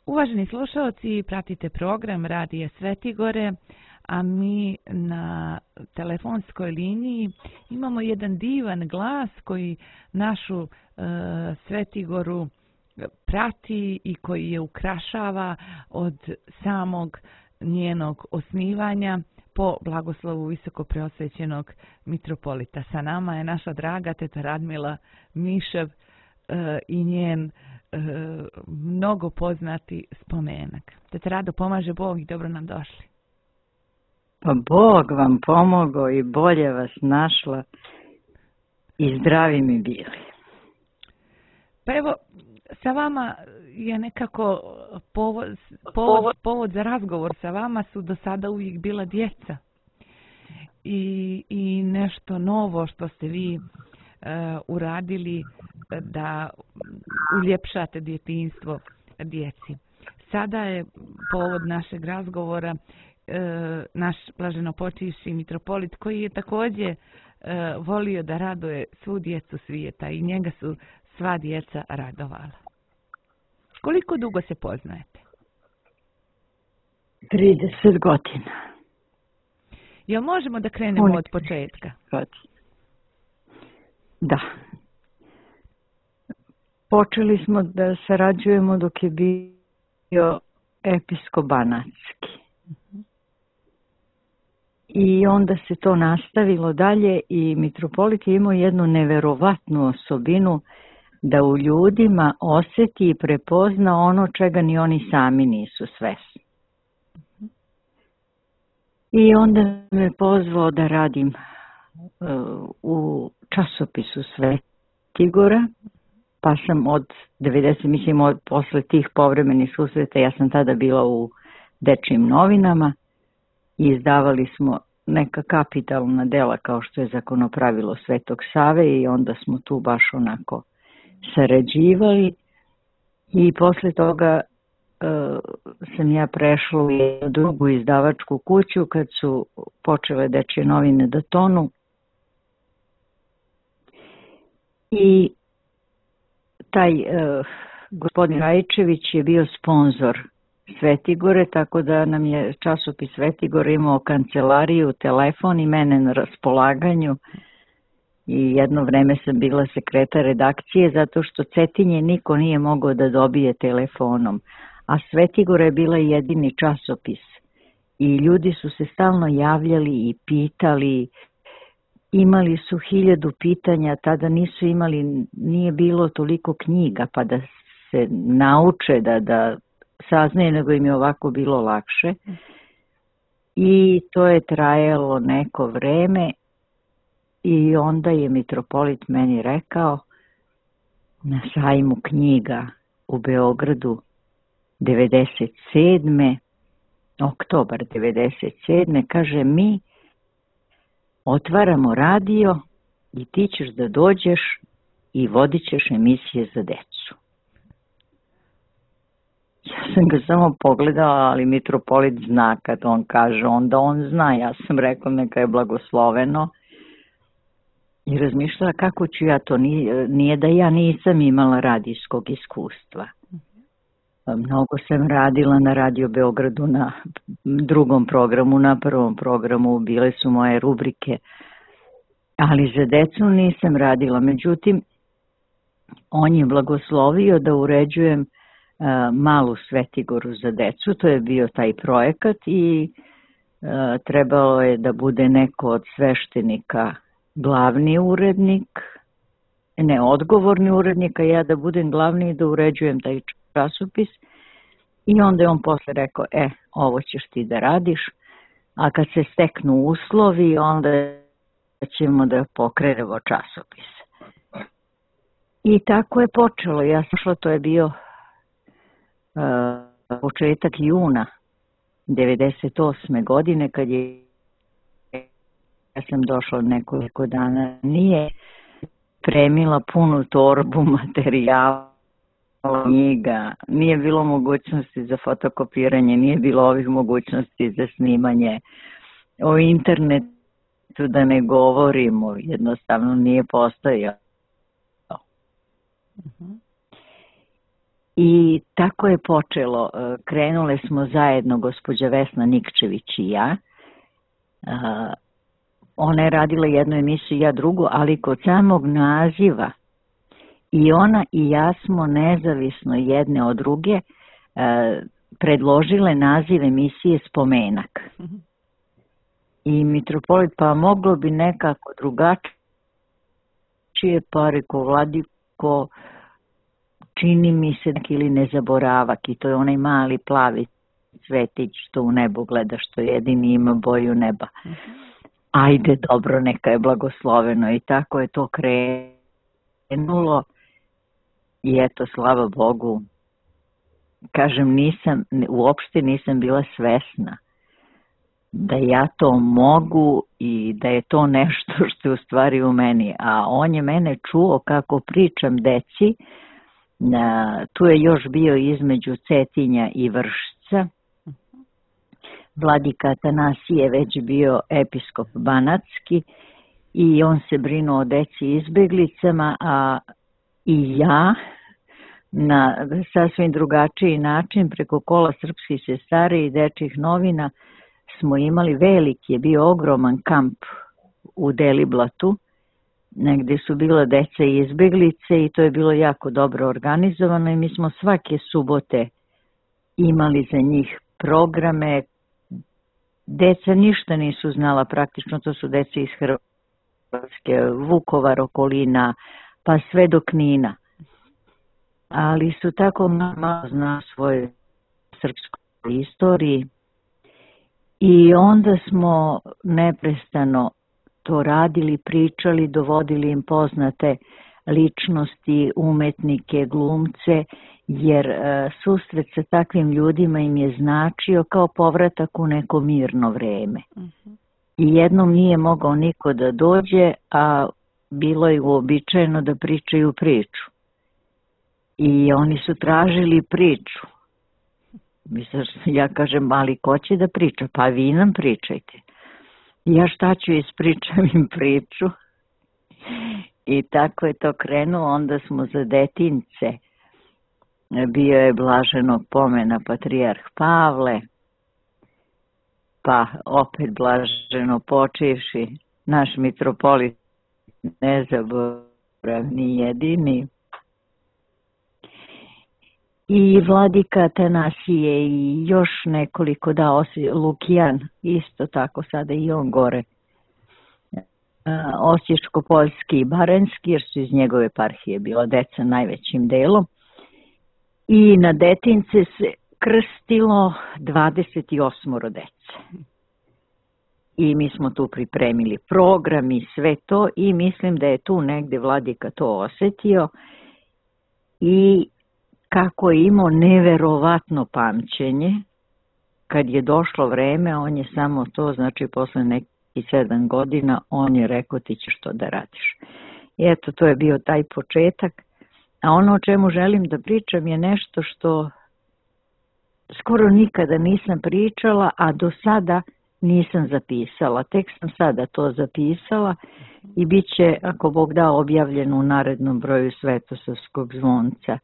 Uvaženi slušalci, pratite program Radija Svetigore, a mi na telefonskoj liniji imamo jedan divan glas koji našu Svetigoru prati i koji je ukrašava od samog njenog osnivanja po blagoslovu visokopreosvećenog mitropolita. Sa nama je naša draga teta Radmila Mišev i njen mnogo poznati spomenak. Teta Rado, pomaže Bog i dobro nam došli. Pa Bog vam pomogao i bolje vas našla i zdravi mi bili. Pa evo, sa vama je nekako povod za razgovor sa vama su do sada uvijek bila djeca. I nešto novo što ste vi uradili da uljepšate djetinjstvo djeci. Sada je povod našeg razgovora naš blaženopočivši mitropolit koji je također volio da raduje svu djecu svijeta i njega su sva djeca radovala. Koliko dugo se poznajete? 30 godina. Jel možemo da krenemo od početka? Da. Počeli smo da sarađujemo dok je bio episkop Banatski. I onda se to nastavilo dalje i mitropolit je imao jednu neverovatnu osobinu da u ljudima osjeti i prepozna ono čega ni oni sami nisu svesni. I onda me pozvao da radim u časopisu Svetigora, pa sam od 90, posle tih povremenih susreta, ja sam tada bila u dečjim novinama i izdavali smo neka kapitalna dela kao što je Zakonopravilo Svetog Save i onda smo tu baš onako sarađivali i posle toga sam ja prešla u jednu drugu izdavačku kuću kad su počele dečje novine da tonu i taj gospodin Rajčević je bio sponzor Svetigore, tako da nam je časopis Svetigor imao kancelariju, telefon i mene na raspolaganju i jedno vreme sam bila sekretar redakcije zato što Cetinje niko nije mogao da dobije telefonom, a Svetigora je bila jedini časopis i ljudi su se stalno javljali i pitali, imali su 1000 pitanja, tada nisu imali, nije bilo toliko knjiga pa da se nauče da saznaju, nego im je ovako bilo lakše. I to je trajalo neko vreme i onda je mitropolit meni rekao na sajmu knjiga u Beogradu 97. oktobar 97. kaže mi otvaramo radio i ti ćeš da dođeš i vodit ćeš emisije za decu. Ja sam ga samo pogledala, ali mitropolit zna kad on kaže, onda on zna. Ja sam rekla neka je blagosloveno i razmišljala kako ću ja to, nije da ja nisam imala radijskog iskustva. Mnogo sam radila na Radio Beogradu na drugom programu, na prvom programu bile su moje rubrike, ali za decu nisam radila. Međutim, on je blagoslovio da uređujem malu Svetigoru za decu, to je bio taj projekat i trebalo je da bude neko od sveštenika glavni urednik, ne odgovorni urednik, a ja da budem glavni i da uređujem taj časopis i onda je on posle rekao, ovo ćeš ti da radiš, a kad se steknu uslovi, onda ćemo da pokrenemo časopis. I tako je počelo, ja sam šla, to je bio početak juna 98. godine kad ja sam došla nekoliko dana, nije premila punu torbu materijala, knjiga, nije bilo mogućnosti za fotokopiranje, nije bilo ovih mogućnosti za snimanje, o internetu da ne govorimo, jednostavno nije postojao. I tako je počelo. Krenule smo zajedno, gospođa Vesna Nikčević i ja. Ona je radila jednu emisiju, ja drugu, ali kod samog naziva i ona i ja smo nezavisno jedne od druge predložile naziv emisije Spomenak. I mitropolit, pa moglo bi nekako drugačije, pa reko Vladiko, čini mi se ili Nezaboravak, i to je onaj mali plavi cvetić što u nebu gleda, što jedini ima boju neba. Ajde, dobro, neka je blagosloveno, i tako je to krenulo. I eto, slava Bogu, kažem, uopšte nisam bila svesna da ja to mogu i da je to nešto što je u stvari u meni. A on je mene čuo kako pričam deci, tu je još bio između Cetinja i Vršca. Vladika Atanasije već bio episkop banatski i on se brinuo o deci izbeglicama, a i ja na sasvim drugačiji način preko kola srpskih sestara i dečjih novina smo imali veliki, je bio ogroman kamp u Deliblatu, negde su bila deca i izbeglice i to je bilo jako dobro organizovano i mi smo svake subote imali za njih programe. Deca ništa nisu znala praktično, to su deca iz Hrvatske, Vukovar, okolina, pa sve do Knina. Ali su tako malo zna svoje srpskoj istoriji i onda smo neprestano to radili, pričali, dovodili im poznate ličnosti, umetnike, glumce, jer susret sa takvim ljudima im je značio kao povratak u neko mirno vreme. I jednom nije mogao niko da dođe, a bilo je uobičajeno da pričaju priču. I oni su tražili priču. Ja kažem, ali ko će da priča? Pa vi nam pričajte. Ja šta ću, ispričam im priču. I tako je to krenuo. Onda smo za detince. Bio je blaženog pomena patrijarh Pavle, pa opet blaženo počivši naš mitropolit nezaboravni jedini. I vladika Atanasije i još nekoliko, Lukijan, isto tako sada i on gore, Osječko-Poljski i Baranjski, jer su iz njegove eparhije bila deca najvećim delom. I na detince se krstilo 28 dece. I mi smo tu pripremili program i sve to i mislim da je tu negde vladika to osetio i kako je imao neverovatno pamćenje, kad je došlo vreme, on je samo to, znači posle nekih 7 godina, on je rekao ti ćeš to da radiš. I eto, to je bio taj početak. A ono o čemu želim da pričam je nešto što skoro nikada nisam pričala, a do sada nisam zapisala. Tek sam sada to zapisala i bit će, ako Bog da, objavljeno u narednom broju Svetosavskog zvonca.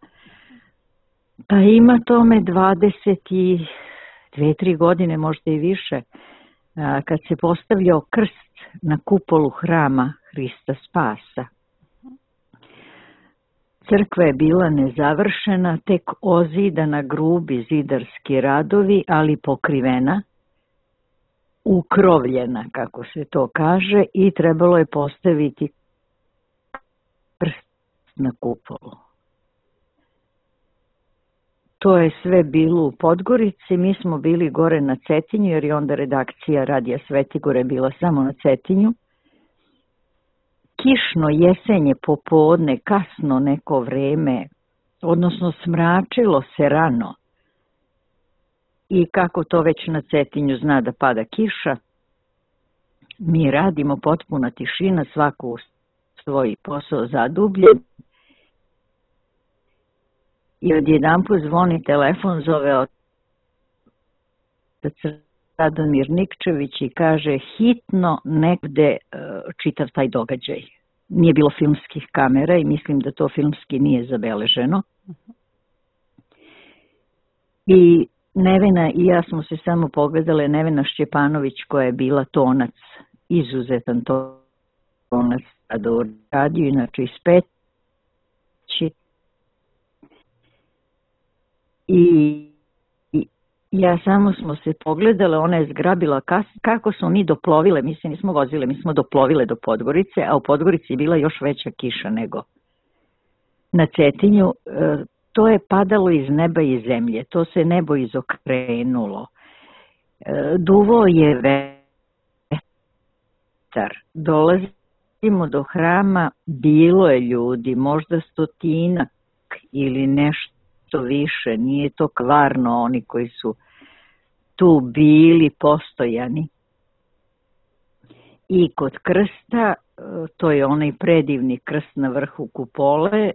Pa ima tome 22-3 godine, možda i više, kad se postavljao krst na kupolu hrama Hrista Spasa. Crkva je bila nezavršena, tek ozidana, grubi zidarski radovi, ali pokrivena, ukrovljena, kako se to kaže, i trebalo je postaviti krst na kupolu. To je sve bilo u Podgorici, mi smo bili gore na Cetinju, jer je onda redakcija Radija Svetigore bila samo na Cetinju. Kišno jesenje popodne, kasno neko vreme, odnosno smračilo se rano. I kako to već na Cetinju zna da pada kiša, mi radimo, potpuna tišina, svako u svoj posao zadubljen. I odjedanput zvoni telefon, zove otac Radomir Nikčević i kaže hitno negde čitav taj događaj. Nije bilo filmskih kamera i mislim da to filmski nije zabeleženo. I Nevena i ja smo se samo pogledale. Nevena Šćepanović, koja je bila tonac, izuzetan tonac da uradio, inače iz Peći. I ja samo smo se pogledale, ona je zgrabila kako smo mi doplovile, mi se nismo vozile, mi smo doplovile do Podgorice, a u Podgorici je bila još veća kiša nego na Cetinju. To je padalo iz neba i zemlje, to se nebo izokrenulo. Duvo je vetar, dolazimo do hrama, bilo je ljudi, možda 100 ili nešto više, nije to kvarno oni koji su tu bili postojani. I kod krsta, to je onaj predivni krst na vrhu kupole,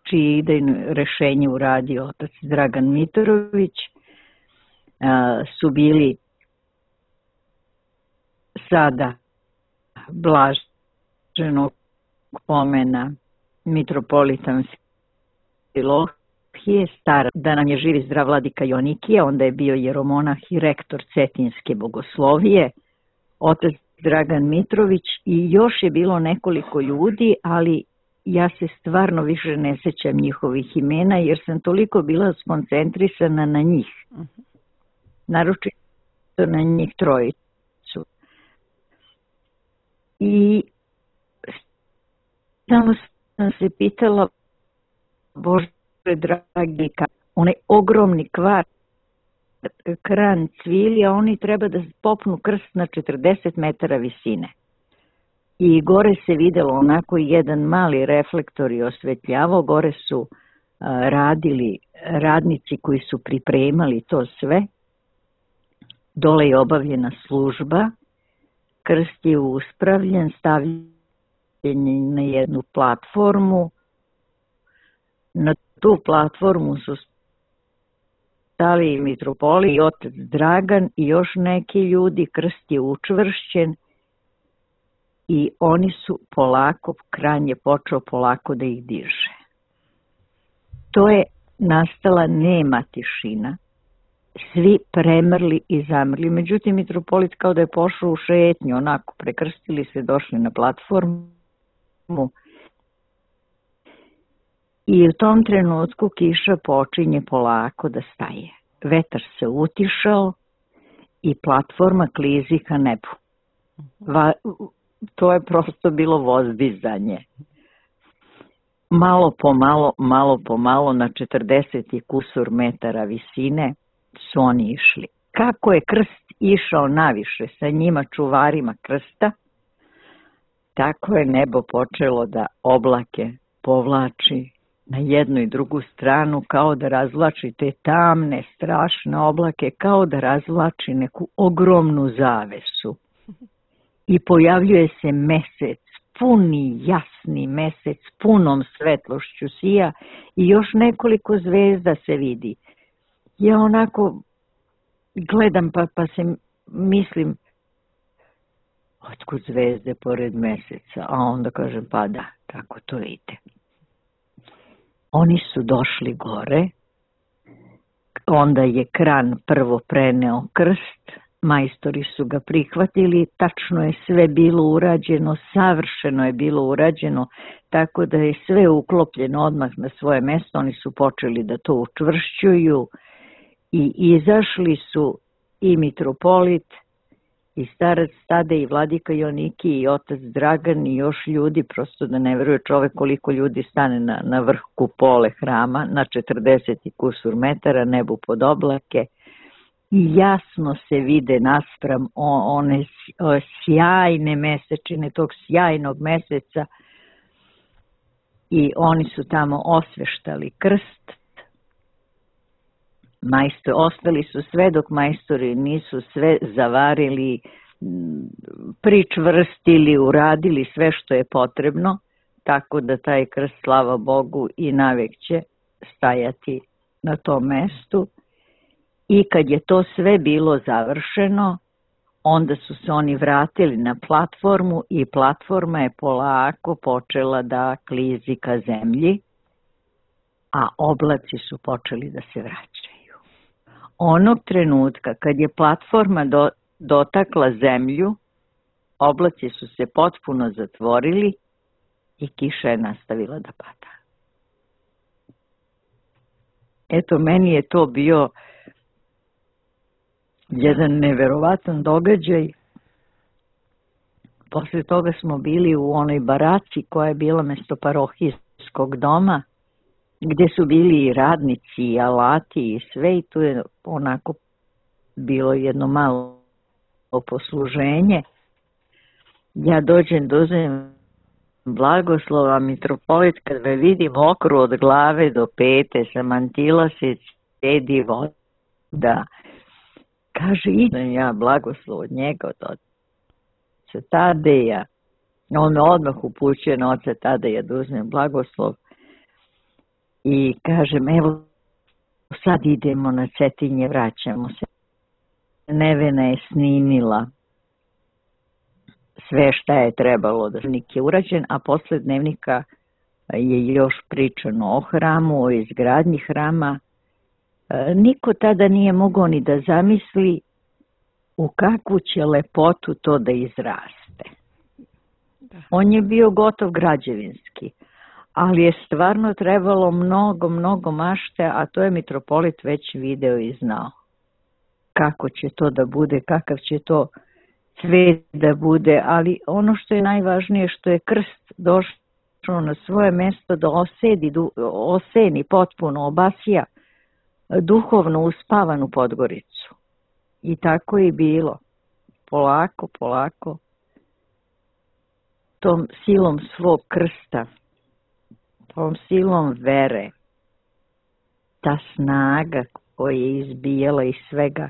čije idejno rešenje uradio otac Dragan Mitrović, su bili sada blaženog pomena mitropolitan Amfilohije, stara, da nam je živi zdrav vladika Joanikije, onda je bio jeromonah i rektor Cetinjske bogoslovije, otac Dragan Mitrović, i još je bilo nekoliko ljudi, ali ja se stvarno više ne sećam njihovih imena, jer sam toliko bila skoncentrisana na njih. Naročito na njih trojicu. I samo sam se pitala, Bože dragi, onaj ogromni kran cvilja, oni treba da popnu krst na 40 metara visine. I gore se videlo onako jedan mali reflektor i osvetljavao, gore su radili radnici koji su pripremali to sve. Dole je obavljena služba, krst je uspravljen, stavljen na jednu platformu. Na tu platformu su stali mitropoli i otac Dragan i još neki ljudi, krst je učvršćen i oni su polako, kran je počeo polako da ih diže. To je nastala nema tišina, svi premrli i zamrli. Međutim, mitropolit kao da je pošao u šetnju, onako prekrstili se, došli na platformu i u tom trenutku kiša počinje polako da staje. Vetar se utišao i platforma klizi ka nebu. To je prosto bilo vozdizanje. Malo po malo na 40 i kusur metara visine su oni išli. Kako je krst išao naviše sa njima čuvarima krsta, tako je nebo počelo da oblake povlači na jednu i drugu stranu, kao da razvlači te tamne, strašne oblake, kao da razvlači neku ogromnu zavesu. I pojavljuje se mesec, puni, jasni mesec, punom svetlošću sija i još nekoliko zvezda se vidi. Ja onako gledam pa se mislim, otkud zvezde pored meseca? A onda kažem, pa da, tako to ide. Oni su došli gore, onda je kran prvo preneo krst, majstori su ga prihvatili, tačno je sve bilo urađeno, savršeno je bilo urađeno, tako da je sve uklopljeno odmah na svoje mesto. Oni su počeli da to učvršćuju i izašli su i mitropolit, i starac Tadej, i vladika Joanikije, i otac Dragan, i još ljudi, prosto da ne veruje čovek koliko ljudi stane na vrh kupole hrama, na 40 i kusur metara, nebu pod oblake, i jasno se vide naspram one sjajne mesečine, tog sjajnog meseca, i oni su tamo osveštali krst. Ostali su sve dok majstori nisu sve zavarili, pričvrstili, uradili sve što je potrebno, tako da taj krst, slava Bogu, i navek će stajati na tom mestu. I kad je to sve bilo završeno, onda su se oni vratili na platformu i platforma je polako počela da klizi ka zemlji, a oblaci su počeli da se vraćaju. onog trenutka kad je platforma dotakla zemlju, oblaci su se potpuno zatvorili i kiša je nastavila da pada. Eto, meni je to bio jedan neverovatan događaj. Posle toga smo bili u onoj baraci koja je bila mesto parohijskog doma, gdje su bili i radnici, i alati, i sve, i tu je onako bilo jedno malo posluženje. Ja dođem, dozem blagoslova, mitropolit, kad me vidi mokru od glave do pete, sa mantila se cedi voda, kaže, idem ja blagoslov od njega, od oca Tadeja. On me odmah upućuje na oca Tadeja da uzmem blagoslov i kažem, evo, sad idemo na Cetinje, vraćamo se. Nevena je snimila sve šta je trebalo da dnevnik je urađen, a posle dnevnika je još pričano o hramu, o izgradnji hrama. Niko tada nije mogao ni da zamisli u kakvu će lepotu to da izraste. On je bio gotov građevinski, ali je stvarno trebalo mnogo mašte, a to je mitropolit već video i znao. Kako će to da bude, kakav će to cvet da bude, ali ono što je najvažnije, što je krst došao na svoje mesto da oseni potpuno, obasija duhovno uspavanu Podgoricu. I tako je bilo. Polako, tom silom svog krsta, tom silom vere, ta snaga koja je izbijala iz svega,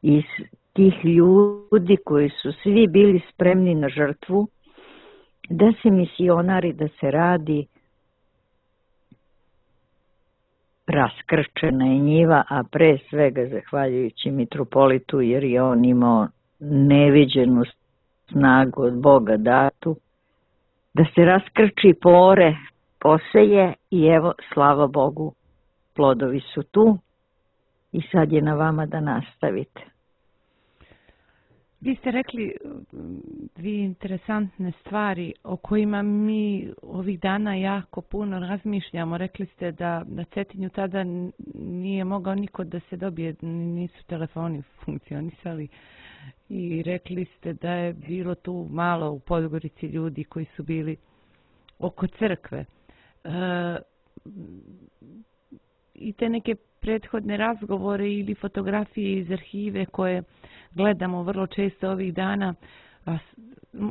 iz tih ljudi koji su svi bili spremni na žrtvu, da se misionari, da se radi, raskrčena je njiva, a pre svega zahvaljujući mitropolitu, jer je on imao neviđenu snagu od Boga datu, da se raskrči pore, poseje i evo, slava Bogu, plodovi su tu i sad je na vama da nastavite. Vi ste rekli dvije interesantne stvari o kojima mi ovih dana jako puno razmišljamo. Rekli ste da na Cetinju tada nije mogao niko da se dobije, nisu telefoni funkcionisali, i rekli ste da je bilo tu malo u Podgorici ljudi koji su bili oko crkve. I te neke prethodne razgovore ili fotografije iz arhive koje gledamo vrlo često ovih dana,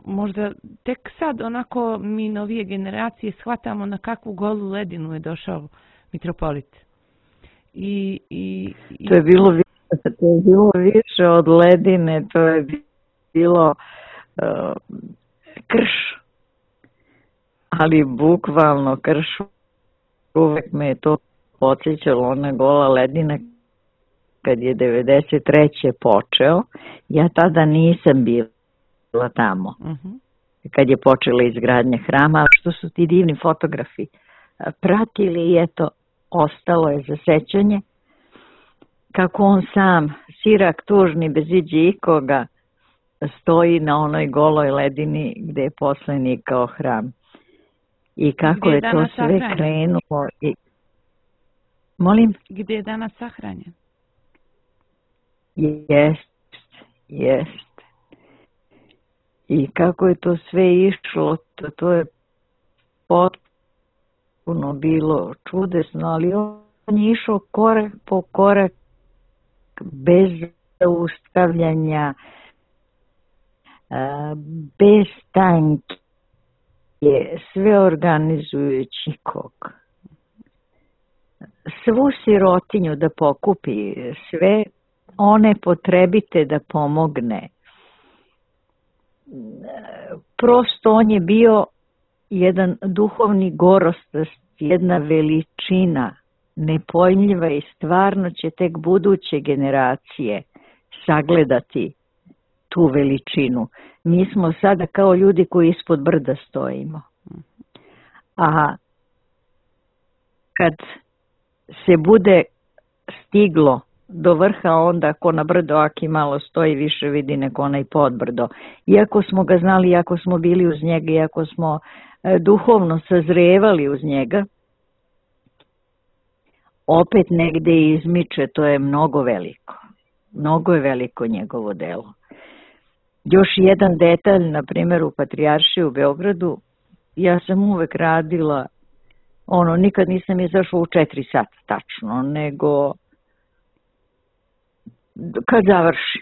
možda tek sad onako mi novije generacije shvatamo na kakvu golu ledinu je došao mitropolit. To je bilo više od ledine, to je bilo krš, ali bukvalno krš. Uvek me je to podsjećalo, ona gola ledina kad je 93. počeo. Ja tada nisam bila tamo. Kad je počela izgradnja hrama, što su ti divni fotografi pratili i eto, ostalo je za sećanje kako on sam, sirak tužni bez iđe ikoga, stoji na onoj goloj ledini gde je posle nikao hram. I kako je to sve krenulo. Molim? Gdje je danas sahranjen? Jest. I kako je to sve išlo, to je potpuno bilo čudesno, ali on je išao korak po korak, bez zaustavljanja, bez tanke, sve organizujući kog. Svu sirotinju da pokupi, sve one potrebite da pomogne. Prosto on je bio jedan duhovni gorost, jedna veličina nepojmljiva i stvarno će tek buduće generacije sagledati tu veličinu. Mi smo sada kao ljudi koji ispod brda stojimo. A kad se bude stiglo do vrha, onda ko na brdo aki malo stoji više vidi neko onaj podbrdo. Iako smo ga znali, iako smo bili uz njega, iako smo duhovno sazrevali uz njega, opet negde izmiče, to je mnogo veliko. Mnogo je veliko njegovo delo. Još jedan detalj, na primjer u Patrijaršiji u Beogradu, ja sam uvek radila, nikad nisam izašla u 4 sata tačno, nego kad završim.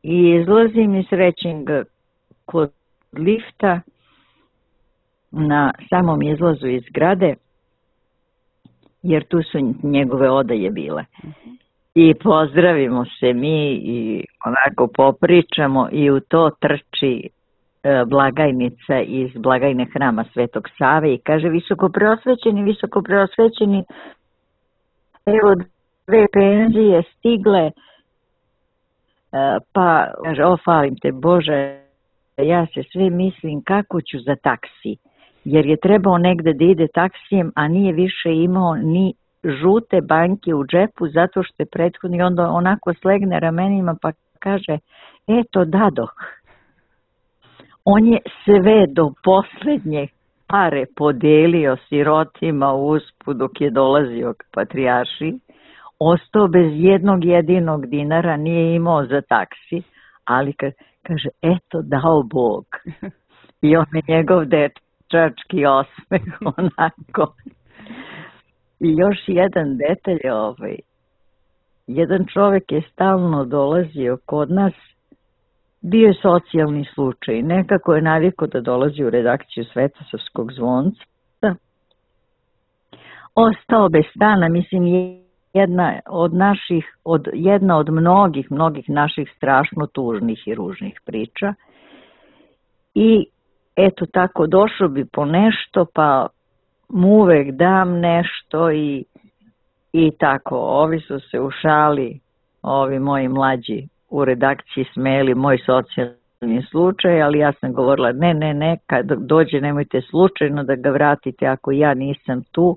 I izlazim i srećem ga kod lifta na samom izlazu iz zgrade, jer tu su njegove odaje bile. I pozdravimo se mi i onako popričamo i u to trči blagajnica iz blagajne hrama Svetog Save i kaže visoko preosvećeni, evo 2 penzije stigle, pa kaže, falim te Bože, ja se sve mislim kako ću za taksi, jer je trebao negde da ide taksijem, a nije više imao ni žute banke u džepu zato što je prethodni, onda onako slegne ramenima pa kaže, eto dadoh. On je sve do poslednje pare podelio sirotima usput dok je dolazio k Patrijaršiji, ostao bez jednog jedinog dinara, nije imao za taksi, ali kaže, eto dao Bog. I on je njegov dečački osmeh onako. I još jedan detalj, jedan čovjek je stalno dolazio kod nas, bio je socijalni slučaj, nekako je navikao da dolazi u redakciju Svetosavskog zvonca, ostao bez stana, mislim jedna od mnogih naših strašno tužnih i ružnih priča i eto tako došao bi po nešto pa mu uvek dam nešto i tako, ovi su se u šali, ovi moji mlađi u redakciji smeli moj socijalni slučaj, ali ja sam govorila ne, kad dođe nemojte slučajno da ga vratite ako ja nisam tu,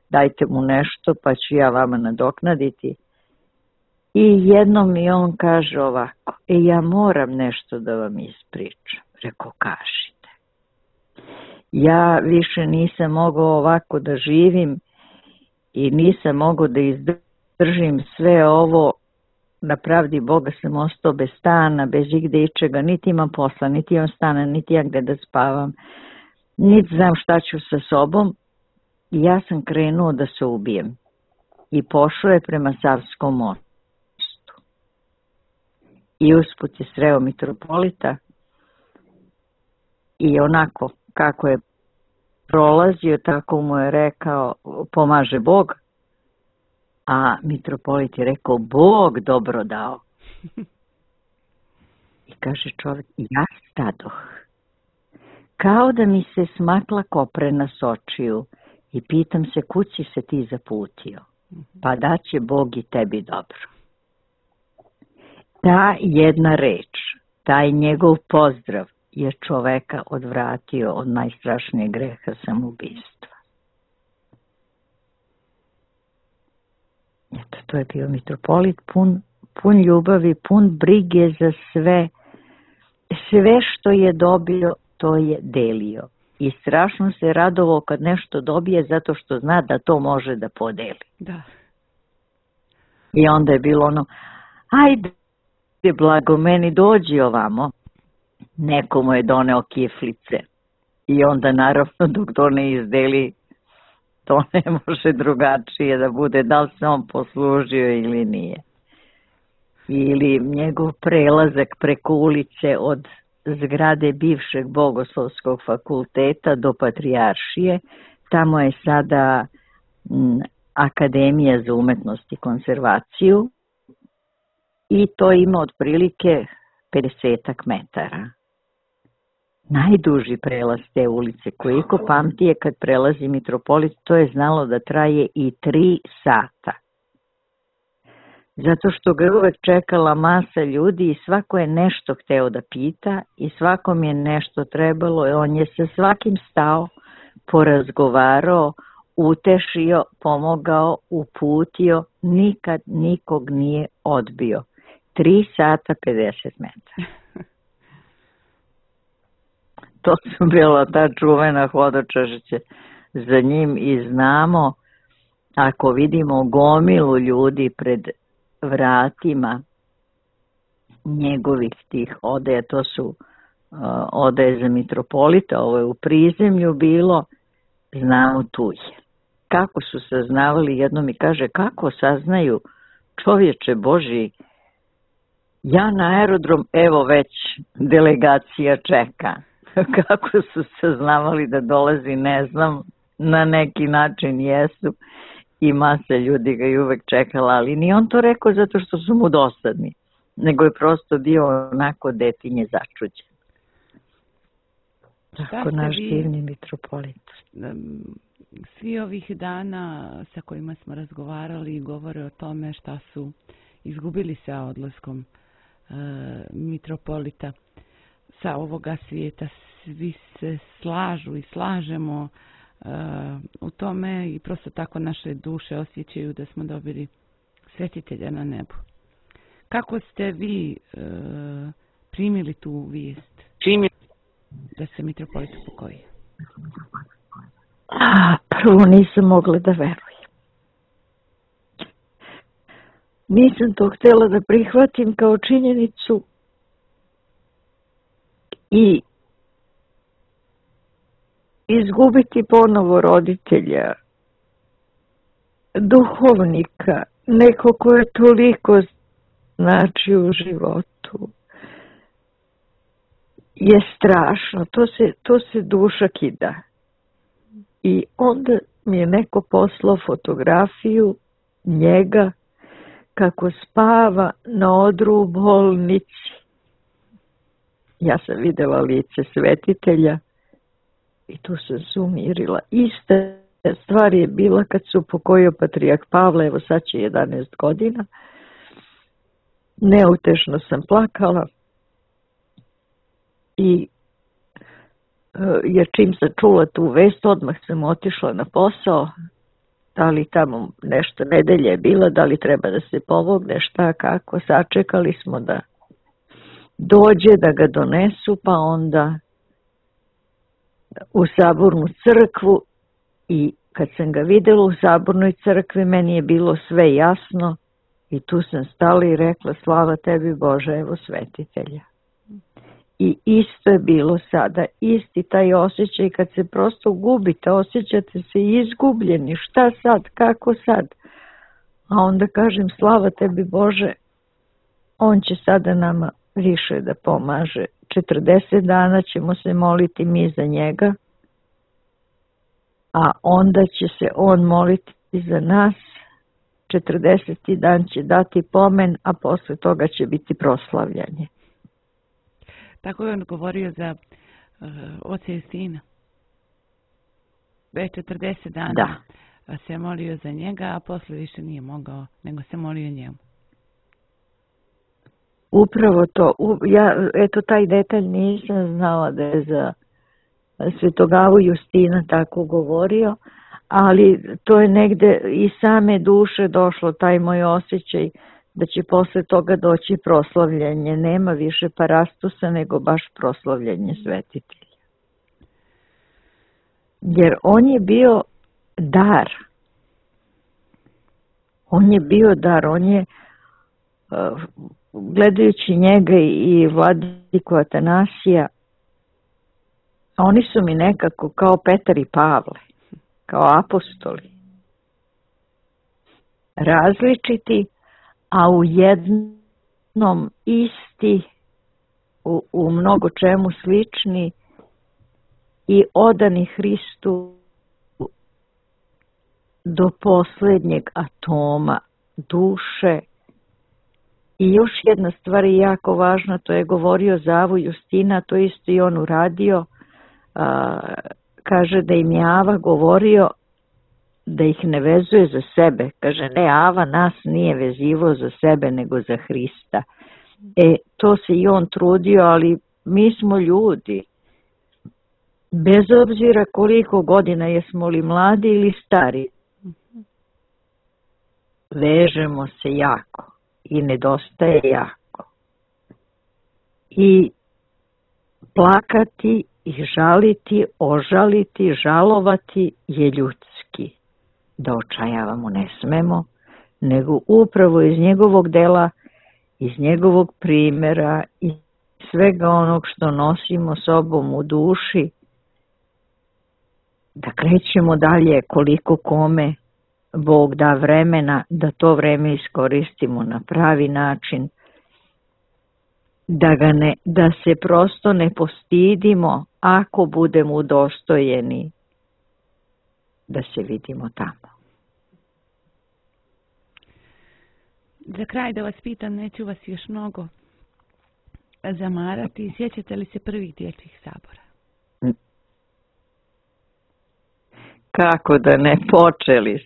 dajte mu nešto pa ću ja vama nadoknaditi. I jednom mi on kaže ovako, ja moram nešto da vam ispričam. Rekao, kažite. Ja više nisam mogao ovako da živim i nisam mogao da izdržim sve ovo. Na pravdi Boga sam ostao bez stana, bez igde ičega, niti imam posla, niti imam stana, niti imam gde da spavam, niti znam šta ću sa sobom. I ja sam krenuo da se ubijem. I pošao je prema Savskom mostu. I usput je sreo mitropolita i onako kako je prolazio, tako mu je rekao, pomaže Bog. A mitropolit je rekao, Bog dobro dao. I kaže čovjek, ja stadoh. Kao da mi se smakla koprena s očiju i pitam se, kud si se ti zaputio? Pa da će Bog i tebi dobro. Ta jedna reč, taj njegov pozdrav je čoveka odvratio od najstrašnijeg greha samoubistva. Eto, to je bio mitropolit pun ljubavi, pun brige za sve. Sve što je dobio, to je delio. I strašno se radovao kad nešto dobije zato što zna da to može da podeli. Da. I onda je bilo ono, ajde blago meni, dođi ovamo. Neko mu je doneo kiflice. I onda naravno dok to ne izdeli, to ne može drugačije da bude, da li se on poslužio ili nije. Ili njegov prelazak preko ulice od zgrade bivšeg Bogoslovskog fakulteta do Patrijaršije. Tamo je sada Akademija za umetnost i konzervaciju i to ima otprilike 50 metara. Najduži prelaz te ulice, koliko pamti je kad prelazi mitropolit, to je znalo da traje i 3 sata. Zato što ga je uvek čekala masa ljudi i svako je nešto hteo da pita i svakom je nešto trebalo i on je sa svakim stao, porazgovarao, utešio, pomogao, uputio, nikad nikog nije odbio. 3 sata 50 metara. To su bila ta čuvena hodočašće za njim i znamo, ako vidimo gomilu ljudi pred vratima njegovih tih odeja, to su odeje za mitropolita, ovo je u prizemlju bilo, znamo tu je. Kako su saznavali, jedno mi kaže, kako saznaju, čovječe Božji, ja na aerodrom, evo već delegacija čeka. Kako su saznavali da dolazi, ne znam, na neki način jesu i masa ljudi ga je uvek čekala, ali nije on to rekao zato što su mu dosadni, nego je prosto bio onako detinje začuđen. Tako naš divni mitropolit. Svi ovih dana sa kojima smo razgovarali govore o tome šta su izgubili sa odlaskom mitropolita sa ovoga svijeta. Svi se slažu i slažemo u tome i prosto tako naše duše osjećaju da smo dobili svetitelja na nebu. Kako ste vi primili tu vijest da se mitropolit upokojio? Prvo nisam mogla da verujem. Nisam to htjela da prihvatim kao činjenicu i izgubiti ponovo roditelja, duhovnika, neko ko je toliko znači u životu, je strašno. To se duša kida. I onda mi je neko poslao fotografiju njega kako spava na odru u bolnici. Ja sam vidjela lice svetitelja i tu sam se umirila. Ista stvar je bila kad su upokojio patrijarh Pavle, evo sad će 11 godina. Neutešno sam plakala i jer čim sam čula tu vest, odmah sam otišla na posao, da li tamo nešto nedelje je bila, da li treba da se pomogne, šta, kako, sačekali smo da dođe, da ga donesu, pa onda u sabornu crkvu i kad sam ga vidjela u sabornoj crkvi, meni je bilo sve jasno i tu sam stala i rekla, slava tebi Bože, evo svetitelja. I isto je bilo sada, isti taj osjećaj kad se prosto gubite, osjećate se izgubljeni, šta sad, kako sad? A onda kažem, slava tebi Bože, on će sada nama više da pomaže. 40 dana ćemo se moliti mi za njega, a onda će se on moliti za nas, 40. dan će dati pomen, a posle toga će biti proslavljanje. Tako je on govorio za oca Justina. Već 40 dana se molio za njega, a posle više nije mogao, nego se molio njemu. Upravo to. Ja, eto, taj detalj nisam znala da je za Svetog Avu Justina tako govorio, ali to je negde i same duše došlo, taj moj osjećaj da će posle toga doći proslavljanje. Nema više parastusa, nego baš proslavljanje svetitelja. Jer on je bio dar. On je bio dar. On je, gledajući njega i vladiku Atanasija, oni su mi nekako kao Petar i Pavle, kao apostoli. Različiti, a u jednom isti, u mnogo čemu slični i odani Hristu do posljednjeg atoma duše. I još jedna stvar je jako važna, to je govorio za Avu Justina, to isto i on uradio. Kaže da im je Ava govorio da ih ne vezuje za sebe. Kaže, ne, Ava nas nije vezivo za sebe, nego za Hrista. To se i on trudio, ali mi smo ljudi. bez obzira koliko godina jesmo li mladi ili stari, vežemo se jako i nedostaje jako. I plakati i žaliti, ožaliti, žalovati je ljudski. Da očajavamo ne smemo, nego upravo iz njegovog dela, iz njegovog primjera i svega onog što nosimo sobom u duši, da krećemo dalje koliko kome Bog da vremena, da to vreme iskoristimo na pravi način, da se prosto ne postidimo ako budemo udostojeni da se vidimo tamo. Za kraj da vas pitam, neću vas još mnogo zamarati, sjećate li se prvih dječjih sabora? Kako da ne, počeli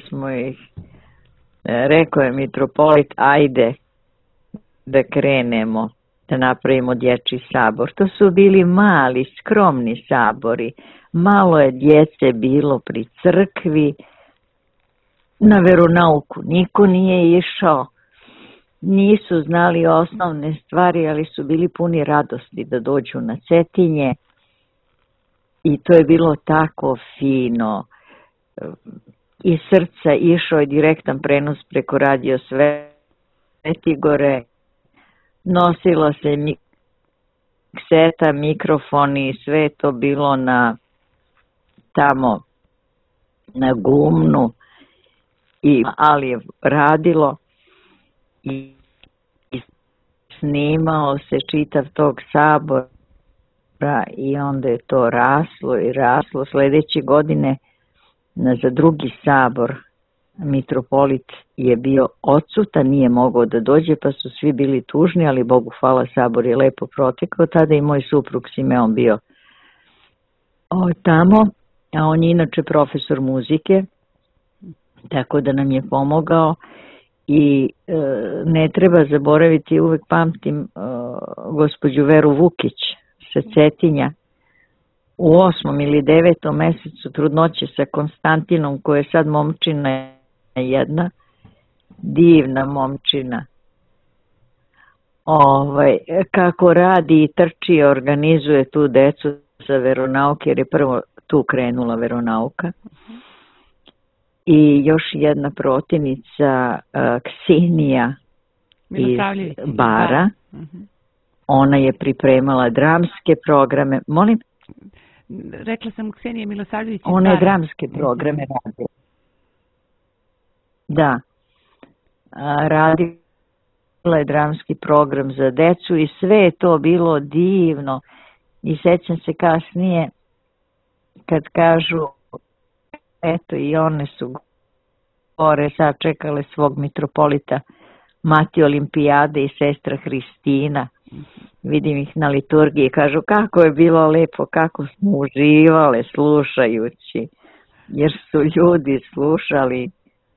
smo ih. Rekao je mitropolit, ajde da krenemo, da napravimo dječji sabor. To su bili mali, skromni sabori. Malo je djece bilo pri crkvi, na veronauku niko nije išao, nisu znali osnovne stvari, ali su bili puni radosti da dođu na Cetinje i to je bilo tako fino. Iz srca išao je direktan prenos preko radio Svetigore, nosilo se mikseta, mikrofoni i sve to bilo tamo na gumnu, ali je radilo i snimao se čitav tog sabora i onda je to raslo i raslo. Sljedeće godine za drugi sabor mitropolit je bio odsutan, nije mogao da dođe, pa su svi bili tužni, ali Bogu hvala, sabor je lepo protekao. Tada i moj suprug Simeon bio tamo, a on je inače profesor muzike, tako da nam je pomogao i ne treba zaboraviti, uvek pamtim gospođu Veru Vukić sa Cetinja. U 8. ili 9. mesecu trudnoće sa Konstantinom, koja je sad momčina jedna, divna momčina, kako radi i trči, organizuje tu decu za veronauke, jer je prvo tu krenula veronauka. I još jedna protivnica, Ksenija iz Bara, ona je pripremala dramske programe. Molim? Rekla sam Ksenija Milosavljević iz Bara. Ona je dramske programe radila. Da. Radila je dramski program za decu i sve je to bilo divno. I sećam se kasnije kad kažu, eto i one su gore sačekale svog mitropolita Mati Olimpijade i sestra Hristina. Vidim ih na liturgiji, kažu kako je bilo lepo, kako smo uživale slušajući, jer su ljudi slušali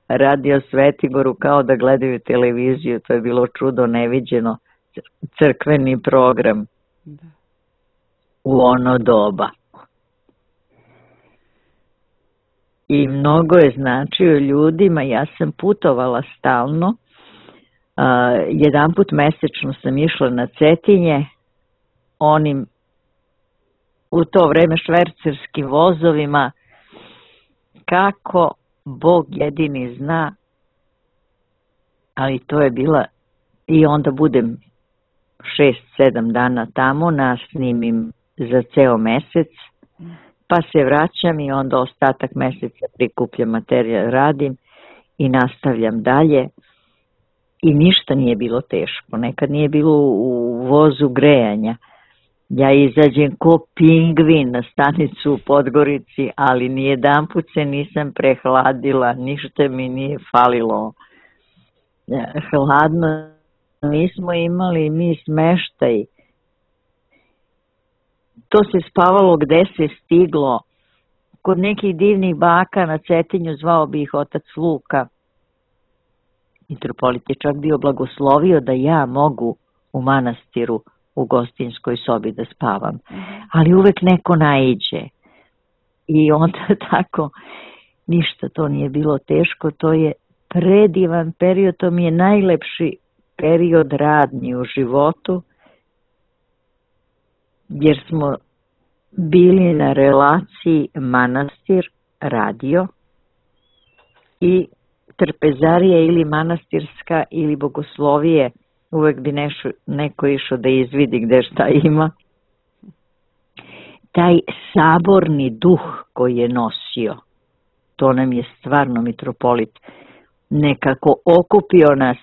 radio Svetigoru kao da gledaju televiziju. To je bilo čudo neviđeno, crkveni program u ono doba. I mnogo je značio ljudima. Ja sam putovala stalno, jedanput mesečno sam išla na Cetinje onim u to vreme švercerskim vozovima, kako Bog jedini zna, ali to je bila, i onda budem 6-7 dana tamo, nasnimim za ceo mesec, pa se vraćam i onda ostatak meseca prikupljam materijal, radim i nastavljam dalje. I ništa nije bilo teško, nekad nije bilo u vozu grejanja. Ja izađem ko pingvin na stanicu u Podgorici, ali nijedanput se nisam prehladila, ništa mi nije falilo. Hladno nismo imali mi smeštaj. To se spavalo gde se stiglo. Kod nekih divnih baka na Cetinju, zvao bi ih otac Luka. Mitropolit je čak bio blagoslovio da ja mogu u manastiru u gostinskoj sobi da spavam. Ali uvek neko naiđe. I onda tako, ništa to nije bilo teško, to je predivan period, to mi je najlepši period radnji u životu, jer smo bili na relaciji manastir, radio i trpezarija ili manastirska ili bogoslovije, uvek bi neko išao da izvidi gde šta ima. Taj saborni duh koji je nosio, to nam je stvarno mitropolit nekako okupio nas,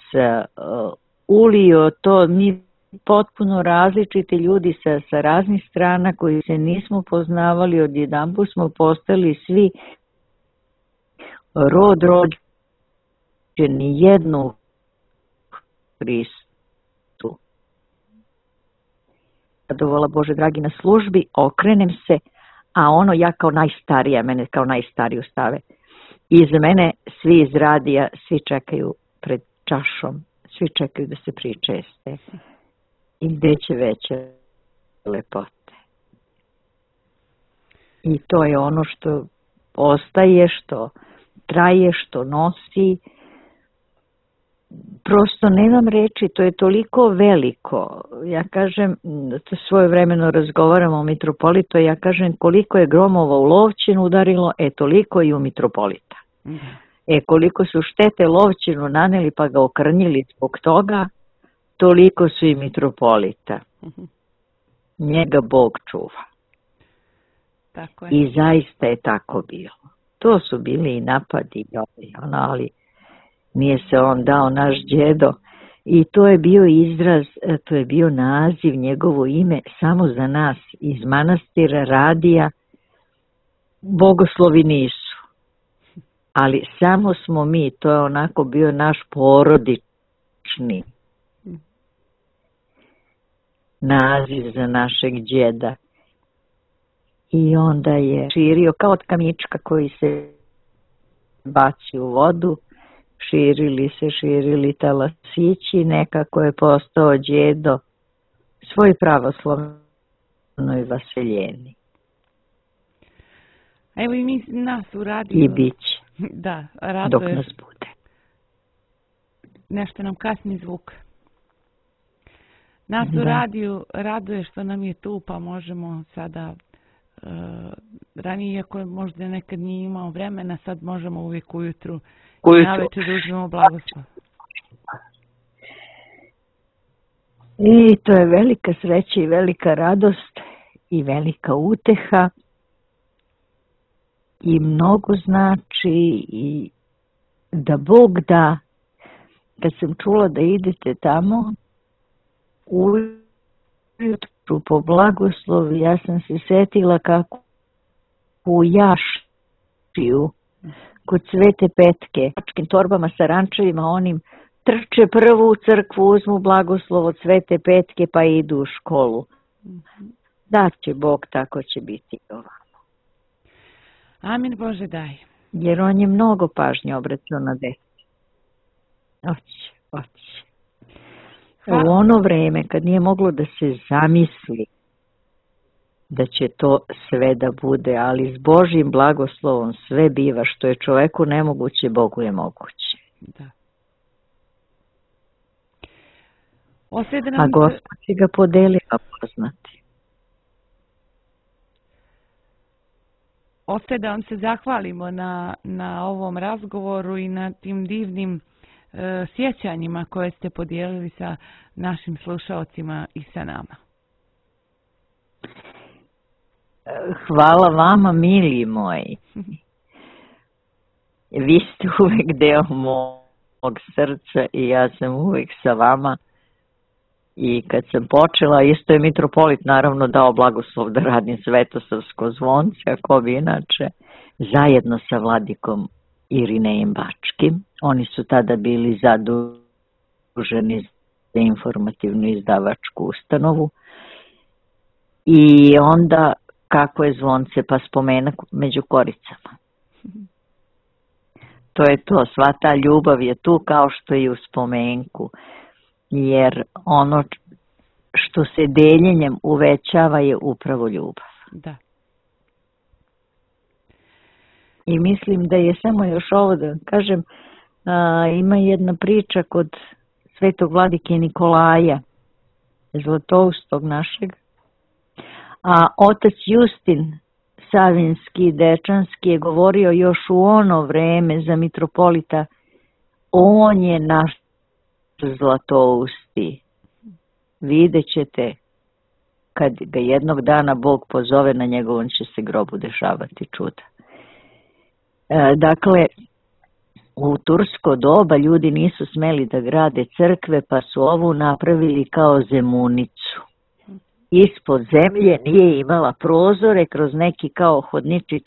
ulio to, mi potpuno različiti ljudi sa raznih strana koji se nismo poznavali, odjedanput smo postali svi rod rođeni jednu Hristu. Zadovola Bože dragi na službi, okrenem se, a ono ja kao najstarija, mene kao najstariju stave. Iza mene svi iz radija, svi čekaju pred čašom, svi čekaju da se pričeste. I gde će veće lepote. I to je ono što ostaje, što traje, što nosi. Prosto nemam reči, to je toliko veliko. Ja kažem, to svojevremeno razgovaramo o mitropolitu, ja kažem koliko je gromova u Lovćinu udarilo, toliko i u mitropolita. Koliko su štete Lovćinu naneli pa ga okrnjili zbog toga, toliko su i mitropolita. Njega Bog čuva. Tako je. I zaista je tako bilo. To su bili i napadi, ali nije se on dao, naš djedo. I to je bio izraz, to je bio naziv, njegovo ime, samo za nas iz manastira, radija. Bogoslovi nisu. Ali samo smo mi, to je onako bio naš porodični naziv za našeg djeda. I onda je širio kao od kamička koji se baci u vodu, širili talasići, nekako je postao djedo svoj pravoslavnoj vaseljeni. Evo i mi nas u radiju. I bit će. Da, raduje. Dok nas bude. Nešto nam kasni zvuk. Nas u radiju raduje što nam je tu, pa možemo sada, ranije iako je možda nekad nije imao vremena, sad možemo uvijek ujutru i navečer da uzmemo blagoslov. I to je velika sreća i velika radost i velika uteha i mnogo znači i da Bog da. Kad sam čula da idete tamo ujutru po blagoslovu, ja sam se setila kako u Jašiju kod Svete Petke, torbama sa rančevima onim, trče prvo u crkvu, uzmu blagoslov od Svete Petke pa idu u školu. Da će Bog, tako će biti ovamo. Amin Bože daj. Jer on je mnogo pažnje obraćao na decu. Oće. U ono vreme kad nije moglo da se zamisli da će to sve da bude, ali s Božjim blagoslovom sve biva, što je čoveku nemoguće, Bogu je moguće. Da. A Gospod će ga podelio poznati. Ostaje da vam se zahvalimo na ovom razgovoru i na tim divnim sjećanjima koje ste podijelili sa našim slušaocima i sa nama. Hvala vama, mili moji. Vi ste uvek deo mog srca i ja sam uvek sa vama. I kad sam počela, isto je mitropolit naravno dao blagoslov da radim Svetosavsko zvonce, ako bi inače, zajedno sa vladikom Irinejem Bačkim. Oni su tada bili zaduženi za informativnu izdavačku ustanovu. I onda kako je zvonce, pa spomenak među koricama. To je to, sva ta ljubav je tu kao što je u spomenku. Jer ono što se deljenjem uvećava je upravo ljubav. Da. I mislim da je samo još ovo da kažem, ima jedna priča kod svetog vladike Nikolaja, Zlatoustog našeg, a otac Justin Savinski, Dečanski je govorio još u ono vreme za mitropolita, on je naš Zlatousti. Vidjet ćete kad ga jednog dana Bog pozove, na njegovom će se grobu dešavati čuda. Dakle, u tursko doba ljudi nisu smeli da grade crkve, pa su ovu napravili kao zemunicu. Ispod zemlje nije imala prozore, kroz neki kao hodničić,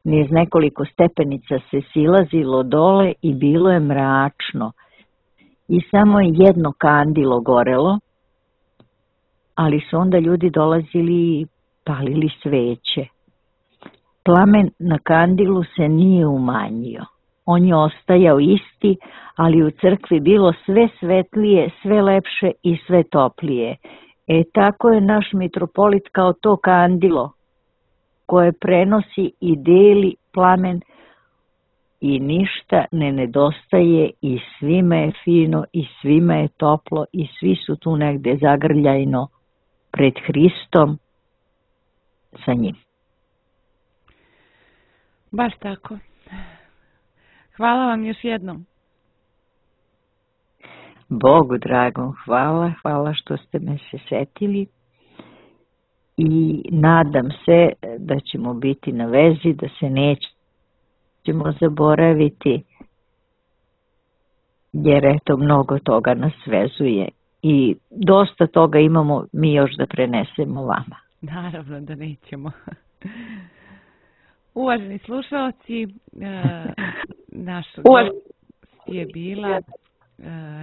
niz nekoliko stepenica se silazilo dole i bilo je mračno. I samo je jedno kandilo gorelo, ali su onda ljudi dolazili i palili sveće. Plamen na kandilu se nije umanjio. On je ostajao isti, ali u crkvi bilo sve svetlije, sve lepše i sve toplije. Tako je naš mitropolit kao to kandilo koje prenosi i deli plamen i ništa ne nedostaje i svima je fino i svima je toplo i svi su tu negde zagrljajno pred Hristom sa njim. Baš tako. Hvala vam još jednom. Bogu dragom hvala što ste me se setili i nadam se da ćemo biti na vezi, da se nećemo zaboraviti, jer eto mnogo toga nas vezuje i dosta toga imamo mi još da prenesemo vama. Naravno da nećemo. Uvaženi slušalci, naš gost je bila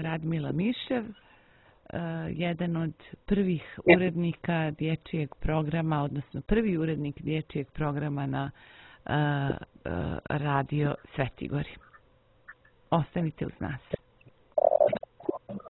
Radmila Mišev, jedan od prvih urednika dječjeg programa, odnosno prvi urednik dječjeg programa na radio Sveti Gori. Ostanite uz nas.